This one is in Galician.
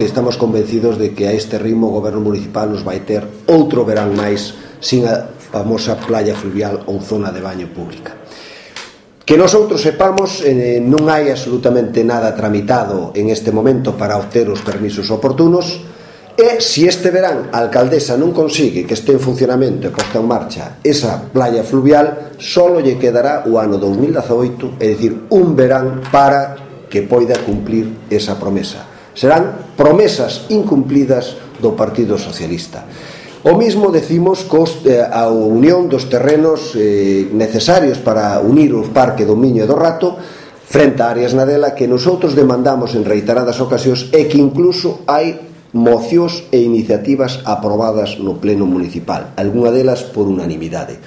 Estamos convencidos de que a este ritmo o Goberno Municipal nos vai ter outro verán máis sin a famosa playa fluvial ou zona de baño pública. Que nosotros sepamos, non hai absolutamente nada tramitado en este momento para obter os permisos oportunos, e se este verán a alcaldesa non consigue que este en funcionamento e posta en marcha esa playa fluvial, só lle quedará o ano 2018, é dicir, un verán para que poida cumplir esa promesa. Serán promesas incumplidas do Partido Socialista. O mismo decimos a unión dos terrenos necesarios para unir o Parque do Miño e do Rato frente a Arias Nadela, que nosotros demandamos en reiteradas ocasións e que incluso hai mocións e iniciativas aprobadas no Pleno Municipal, algunha delas por unanimidade.